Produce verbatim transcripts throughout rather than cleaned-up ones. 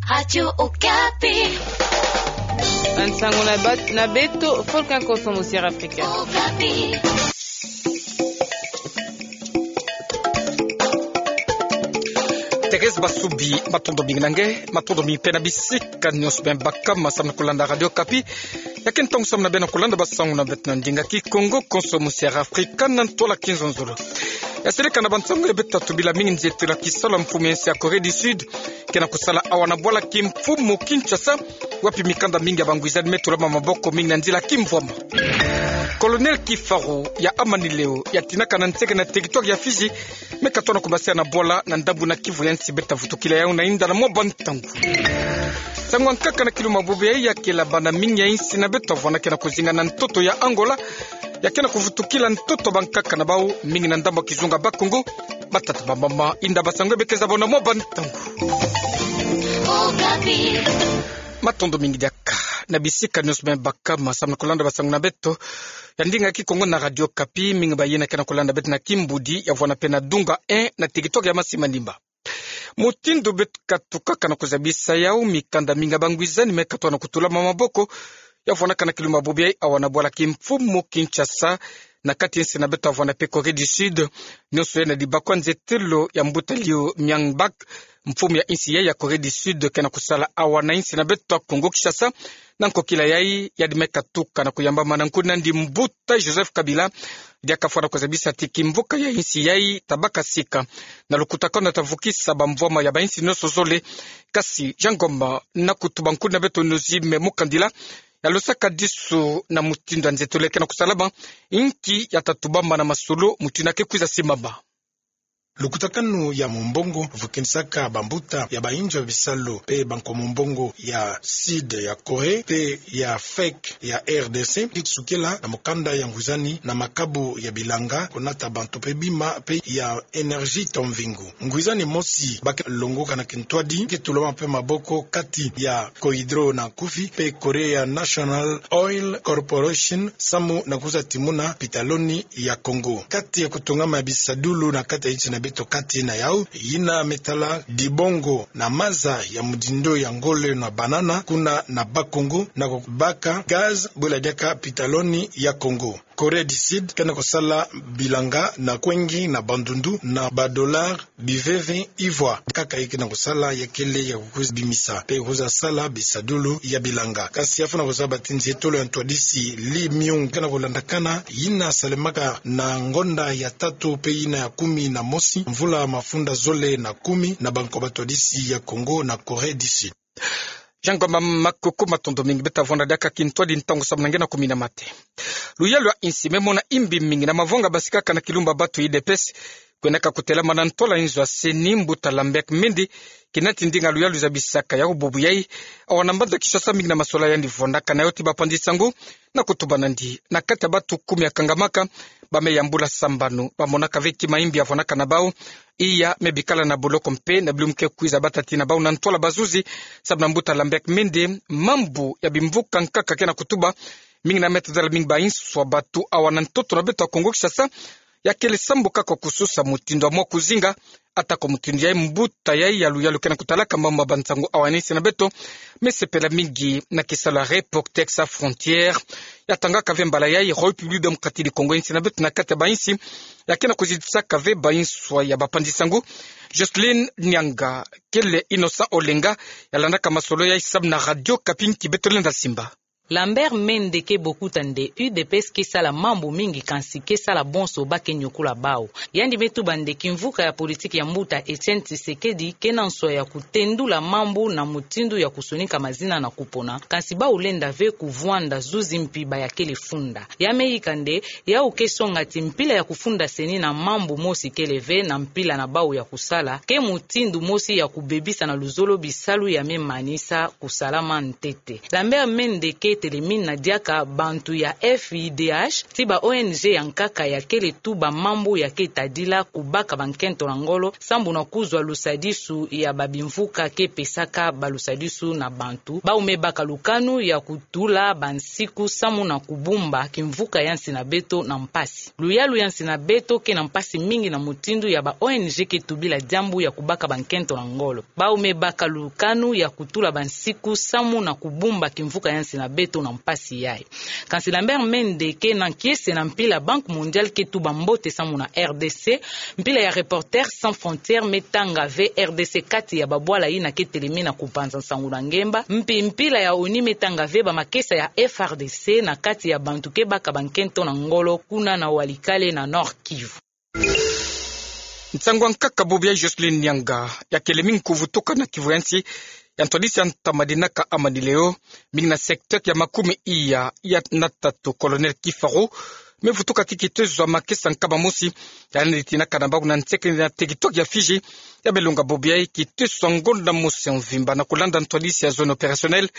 Radio Okapi. Bansangu na bat-, na beto, fulu ka konso musiara Afrika. Okapi. Thérèse Basubi, matondo mingi na nge, matondo mingi pe na bisika nyonso bie bakama samu na kulanda Radio Okapi. Ya ke ntangu samu na bie na kulanda bansangu na beto na ndinga Kikongo, konso musiara Afrika na ntwala Kinzonzolo. Ya seleka na bansangu ya beto, tatu bila mingi nzietelo ya kisalu ya mfumu ya nsi ya Corée du Sud, ke na kusala awa na bwala kimfumu Kinshasa, wapi mikanda mingi ya bangwizani me tulama maboko, mingi na nzila kimvwama. Colonel Kifaru ya Amanileo, ya tinaka na nseke na territoire ya Fidji, me katona kubasia na bwala na ndambu na Kivu ya nsi, beta vutukila yau na inda na mwa bantangu. Nsangu ya nkaka na kilu mabubu yayi ya kela bana mingi ya insi na beto vwanda ke na kuzinga na ntoto ya Angola, ya ke na kuvutukila ntoto bankaka na bau, mingi na ndambu ya kizunga Bakongo, batata bamama. Inda bansangu ya beto za buna mwa bantangu. Okapi. Matondo mingi diaka na bisika nyonso bie bakama samu na kulanda bansangu na beto ya ndinga Kikongo na Radio Okapi. Mingi bayina ke na kulanda beto na kimbudi ya vwanda pe na Dunga un na territoire ya Masi-Manimba. Mutindu beto katukaka na kuzabisa yau, mikanda mingi ya bangwizani me katona kutulama maboko, ya vwandaka na kilu mabubu yayi awa na bwala kimfumu Kinshasa, na kati ya insi na beto vwanda pe Corée du Sud. Nyonso yayi na dibakwa nzietelo ya mbuta Liu Myung-bak, mfumu ya insi yayi ya Corée du Sud, ke na kusala awa na insi na beto Kongo Kinshasa. Na nkokila yayi, yandi me katuka na kuyambama na nkuna ndi mbuta Joseph Kabila, diaka fwana kuzabisa ti kimvuka ya insi yayi tabaka sika. Na lukutakanu ta vukisa bamvwama ya bainsi nyonso zole. Kasi Jean Ngoma, na kutuba nkuna beto Onésime Mukandila, ya losaka disu na mutindu ya nzietelo ke na kusalama, inki ya ta tubama na masolo, mutindu ke kwiza simama. Lukutakanu ya mumbongo vukinisaka bambuta ya bainzo ya bisalu pe banko mumbongo ya Sud ya Corée pe ya FEC ya R D C, kisukila na mukanda ya ngwizani na makabu ya bilanga, kunata bantu pe bima pe ya énergie to mvingu. Ngwizani mosi ba ke longoka na kintwadi ke tulama pe maboko kati ya Cohydro na Kufi pe Korea National Oil Corporation samu na kwiza timuna pitaloni ya Kongo. Kati ya kutungama ya bisadulu na kati ya insi na beto kati na yau, yina me tala dibongo na maza ya mudindo ya ngole na banana kuna na Bakongo, na kubaka gaz bula diaka pitaloni ya Kongo. Corée du Sud ke na kusala bilanga na Kwengi, na Bandundu, na ba dollars, biveve, ivoire. Kaka ye ke na kusala ya kele ya kukwiza bimisa pe kwiza sala bisadulu ya bilanga. Kasi ya fwana kuzaba ti nzietolo ya ntwadisi Lee Myung ke na kulandakana, yina salemaka na ngonda ya tatu pe yina ya kumi na mosi, mvula mafunda zole na kumi, na banko batwadisi ya Kongo na Corée du Sud. Jean Ngoma, makuku, matondo mingi, beta vwanda diaka kintwadi ntangu samu na nge na kumina mate. Luyalu ya insi me mona imbi mingi na mavanga basikaka na kilumba batu U D P S, kwendaka kutelama na ntwala inzo ya CENI, mbuta Lambert Mende, kina ti ndinga luyalu zabisaka yau bubu yayi awa na mbanza Kinshasa, mingi na masola yandi vwandaka na yo ti bapanzi nsangu, na kutuba nandi na kati ya batu kumi ya kangamaka, ba me yambula sambanu, ba monaka ve ti maimbi ya vwandaka na bau, iya me bikala na boloko mpe na bilumbu ke kwiza bata ti na bau na ntwala bazuzi, samu na mbuta Lambert Mende, mambu ya bimvuka nkaka ke na kutuba, mingi na me tadala mingi bainswa batu awa na ntoto na beto ya Kongo Kinshasa, ya kele sambu kaka kususa mutindu ya mwa kuzinga, atako mutindu yayi mbuta yayi ya luyalu ke na kutalaka mambu ma bansangu awa na insi na beto, me sepela mingi na kisalu ya Reporters Sans Frontières, ya tangaka ve mbala yayi République Démocratique du Congo, insi na beto na kati ya bainsi ya ke na kuzidisaka ve bainswa ya bapanzi nsangu. Jocelyne Nyanga, kele Innocent Olenga, ya landaka masolo yayi samu na Radio Okapi, nki beto lenda simba. Lambert Mende ke bokuta nde U D P S ke sala mambu mingi, kansi ke sala bonso ba ke nyokula bau. Yandi me tuba nde kimvuka ya politiki ya mbuta Etienne Tshisekedi ke na nswa ya kutendula mambu na mutindu ya kusonika mazina na kupona, kansi bau lenda ve kuvwanda zuzi mpi ba ya kele funda. Ya me yika nde yau ke songa ti mpila ya kufunda CENI na mambu mosi kele ve na mpila na bau ya kusala, ke mutindu mosi ya kubebisa na luzolo bisalu ya me manisa kusalama ntete. Lambert Mende ke Telemina diaka bantu ya F I D H ti ba O N G ya nkaka ya kele tuba mambu ya ketadila kubaka bankento na ngolo sambu na kuzwa lusadisu ya babimvuka ke pesaka balusadisu na bantu. Bau me baka lukanu ya kutula bansiku samu na kubumba kimvuka ya nsi na beto na mpasi. Luyalu ya nsi na beto ke na mpasi mingi na mutindu ya ba O N G ke tubila diambu ya kubaka bankento na ngolo. Bau me baka lukanu ya kutula bansiku samu na kubumba kimvuka ya nsi na beto na mpasi yayi. Kansi Lambert Mende ke na nkiese na mpila Banque Mondiale ke tuba mbote samu na R D C, mpila ya Reporters sans frontières me tanga ve R D C kati ya babwala yina ke telemi na kupanza nsangu na ngemba, mpi mpila ya ONU me tanga ve bamakesa ya F R D C na kati ya bantu ke baka bankento na ngolo kuna na Walikale na Nord-Kivu. Nsangu ya nkaka bubu ya Jocelyn Nyanga ya kele mingi kuvutuka na Kivu ya nsi, ya ntwadisi ya ntama dinaka amani leo, mingi na secteur ya makumi iya ya na tatu, Colonel Kifaro me vutuka ki kitezo ya makesa nkama mosi ya nani tinaka na bau na nsekele na territoire ya Fidji. Ya belonga bubu yayi kitezo ya ngonda mosi ya mvimba na kulanda ntwadisi ya zone opérationnelle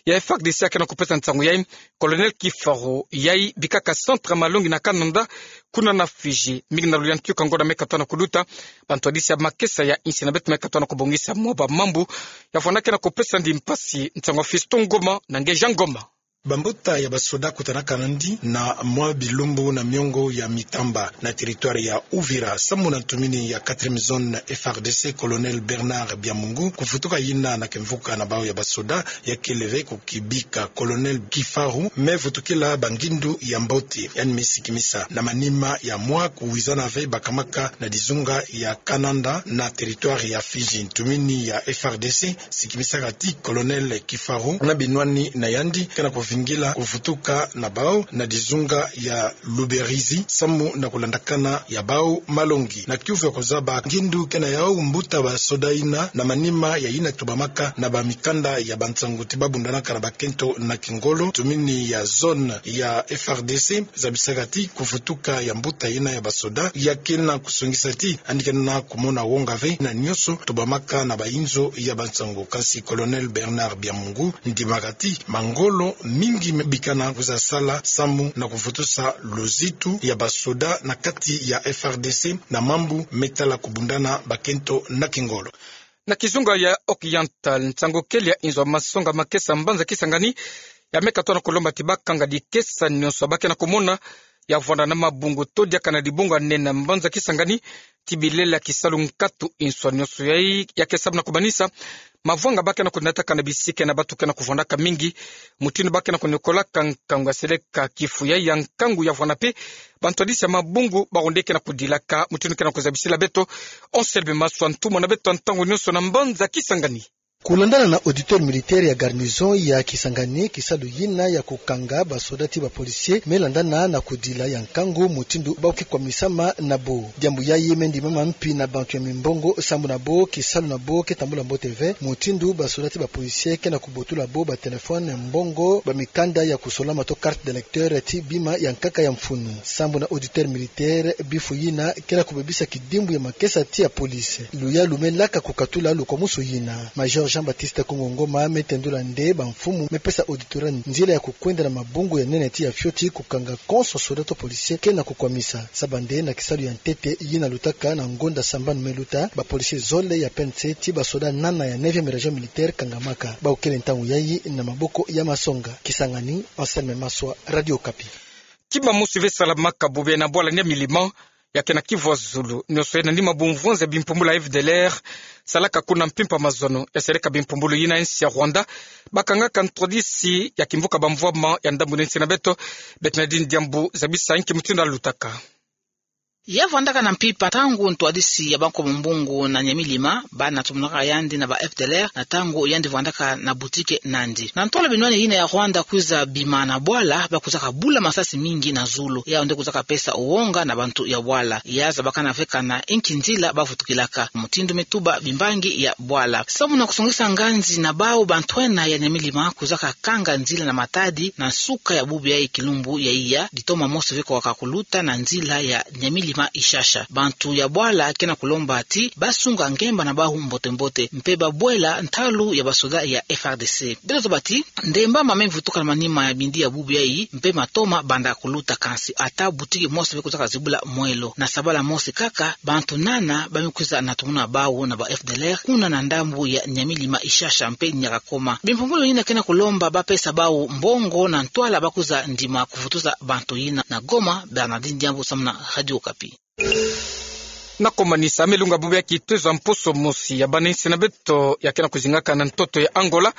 ya F R D C ya ke na kupesa nsangu yayi, Colonel Kifaro yayi bikaka centre ya malongi na Kananda kuna na Fidji, mingi na luyantika ngonda me katwa na kuluta, bantwadisi ya makesa ya nsi na beto me katwa na kubongisa mwa bamambu. Ya vwanda ke na kupesa ndi mpasi nsangu ya Fiston Ngoma na Ngeja Ngoma. Bambuta ya basoda kutanaka nandi na mwa bilumbu na miongo ya mitamba na territoire ya Uvira, samu na ntumini ya quatrième zone F R D C, Colonel Bernard Byamungu, kuvutuka yina na kimvuka na bau ya basoda ya kele ve kukibika. Colonel Kifaru me vutukila bangindu ya mbote, yandi me sikimisa na manima ya mwa kuwizana ve bakamaka na dizunga ya Kananda na territoire ya Fidji. Ntumini ya F R D C sikimisaka ti Colonel Kifaru na binwani na yandi ke na kuvingila kuvutuka na bau na dizunga ya Luberizi, samu na kulandakana ya bau malongi. Na kiuvu ya kuzaba ngindu ke na yau, mbuta basoda yina na manima ya yina tubamaka na bamikanda ya bansangu ti babundanaka na bakento na kingolo, ntumini ya zone ya F R D C zabisaka ti kuvutuka ya mbuta yina ya basoda ya ke na kusongisa ti yandi ke na kumona wonga ve na nionso tubamaka na bayinzo ya bansangu. Kansi Colonel Bernard Byamungu ndimaka ti mangolo mingi me bikana kwiza sala samu na kuvutusa luzitu ya basoda na kati ya F R D C na mambu me tala kubundana bakento na kingolo. Na kizunga ya Occidental, nsangu kele ya inzo ya masonga makesa mbanza Kisangani ya me katwa na kulomba ti bakanga dikesa nionso ba ke na kumona ya vwanda na mabungu to diaka na dibunga nene na mbanza Kisangani ti bilela kisalu nkatu. Inzo nionso yayi ya ke samu na kumanisa mavwanga ba ke na kunataka na bisika na bantu ke na kuvwandaka mingi, mutindu ba ke na kuniokolaka nkangu ya seleka kifu yayi ya nkangu ya vwanda mpe bantwadisi ya mabungu bawu nde ke na kudilaka. Mutindu ke na kuzabisila beto Anselme Maswa, ntumwa na beto ya ntangu nionso na mbanza Kisangani. Kulandana na auditeur militaire ya garnison ya Kisangani, kisalu yina ya kukanga basoda ti bapolicier me landana na kudila ya nkangu mutindu ba ke kwamisama na bo. Diambu yayi me ndimama mpi na bantu ya mimbongo sambu na bo kisalu na bo ke tambula mbote ve, mutindu basoda ti bapolicier ke na kubotula bo batelefone, mbongo, bamikanda ya kusolama to carte d'électeur ti bima ya nkaka ya mfunu. Sambu na auditeur militaire, bifu yina ke na kubebisa kidimbu ya makesa ti ya police. Luyalu me laka kukatula lukwamusu yina. Major Jean-Baptiste Kongo Ngoma me tendula nde bamfumu me pesa auditeur nzila ya kukwenda na mabungu ya nene ti ya fioti kukanga konso soda to policier ke na kukwamisa. Saba nde na kisalu ya ntete yina lutaka na ngonda sambanu me luta, bapolicier zole ya P N C ti basoda nana ya neuvième région militaire kangamaka. Bawu kele ntangu yayi na maboko ya masonga. Kisangani, Anselme Maswa, Radio Okapi. Kima mosi ve salamaka bubu yayi na bwala Nyamilima, ya ke na Kivu ya Zulu, nionso yayi na nima bumvwanza ya bimpumbulu ya F D L R salaka kuna mpimpa mazono ya seleka bimpumbulu yina ya nsi ya Rwanda, bakangaka ntwadisi ya kimvuka bamvwama ya ndambu na nsi na beto. Bernardine Diambu zabisa nki mutindu ya lutaka. Ya vwandaka na mpimpa ntangu ntwadisi ya bankomo mbungu na Nyamilima, bana tumunaka yandi na ba F D L R na ntangu yandi vwandaka na boutique nandi. Na ntola binwani yina ya Rwanda kwiza bima na bwala, ba kwizaka bula masasi mingi na zulu. Yawu nde kwizaka pesa wonga na bantu ya bwala. Ya zabakana ve kana nki nzila ba vutukilaka, mutindu me tuba bimbangi ya bwala. Samu na kusongisa nganzi na bawu, bantwenia ya Nyamilima kwizaka kanga nzila na matadi na nsuka ya bubu yayi kilumbu ya iya, ditoma mosi ve kwaka kuluta na nzila ya Nyamilima Ishasha. Bantu ya bwala ke na kulomba ti basunga ngemba na bawu mbote-mbote, mpe babwela ntalu ya basoda ya F R D C. Beto tobati, ndemba mame mvutuka na manima ya bindi ya bubu yayi, mpe matoma banda kuluta, kansi ata butiki mosi bwe kwiza kazibula mwelo. Na sabala mosi kaka, bantu nana bame kwiza na tumuna bawu na ba F D L R, kuna na ndambu ya Nyamilima, Ishasha mpe Nyakakoma. Bimpumbulu yina ke na kulomba bapesa bawu mbongo na ntwala bakwiza ndima kuvutuza bantu yina. Na Goma, Bernardine Diambu, samu na Radio Okapi. Na komanisa, milunga bubu ya kitezo ya mposo mosi ya bana-insi na beto ya ke na kuzingaka na ntoto ya Angola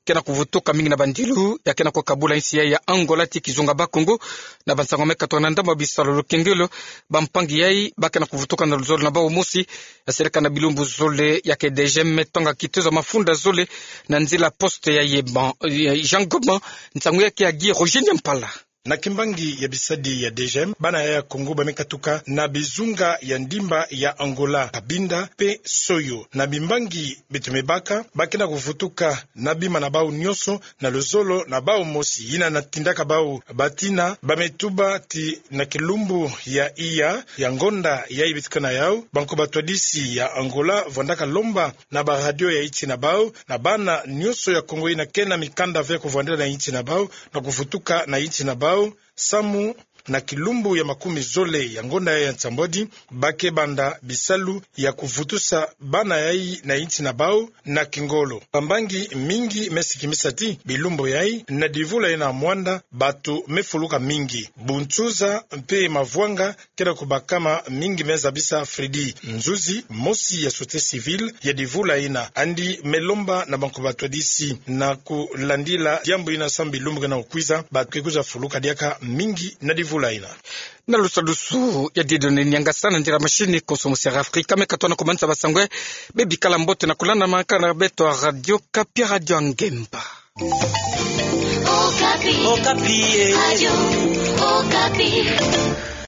ke na kuvutuka, mingi na bandilu ya ke na kukabula insi yayi ya Angola ti kizunga Bas-Congo. Na bansangu me katuka na ndambu ya bisalu lukengelo, bampangi yayi ba ke na kuvutuka na luzolo na bawu mosi ya seleka na bilumbu zole ya ke D G M me tonga kitezo ya mafunda zole na nzila poste ya Yeba, ya Jean Goban. Nsangu ya ke ya Guy Roger Nyampala. Na kimbangi ya bisadi ya D G M, bana yayi ya Congo bame katuka na bizunga ya ndimba ya Angola, Cabinda mpe Soyo. Na bimbangi beto me baka, ba ke na kuvutuka na bima na bawu nyonso na luzolo na bawu mosi. Yina na tindaka bawu batina, bame tuba ti na kilumbu ya iya ya ngonda yayi beto ke na yawu, bankoba twadisi ya Angola vwandaka lomba na baradio ya insi na bawu, na bana nyonso ya Congo yina ke na mikanda ve ya kuvwandila na insi na bawu, na kuvutuka na insi na bawu, samu na kilumbu ya makumi zole ya ngonda yayi ya nsambwadi, ba ke banda bisalu ya kuvutusa bana yayi na insi na bawu na kingolo. Bampangi mingi me sikimisa ti bilumbu yayi na divula yina mwanda, bantu me fuluka mingi. Bunsuza mpe mavwanga ke na kubakama mingi, me zabisa Freddy Nzuzi, mosi ya société civile ya divula yina. Yandi me lomba na bankoba twadisi na kulandila diambu yina samu bilumbu ke na kukwiza, bantu ke kwiza fuluka diaka mingi na divula yina. Na lusadusu ya Dieudonné Niangasa, na ndira machine, konso mosi ya Afrika me katuka na komanisa basangu. Bebikala mbote na kulanda makala na beto ya Radio Okapi, Radio ya Ngemba. Okapi. Okapi, eh. Radio Okapi.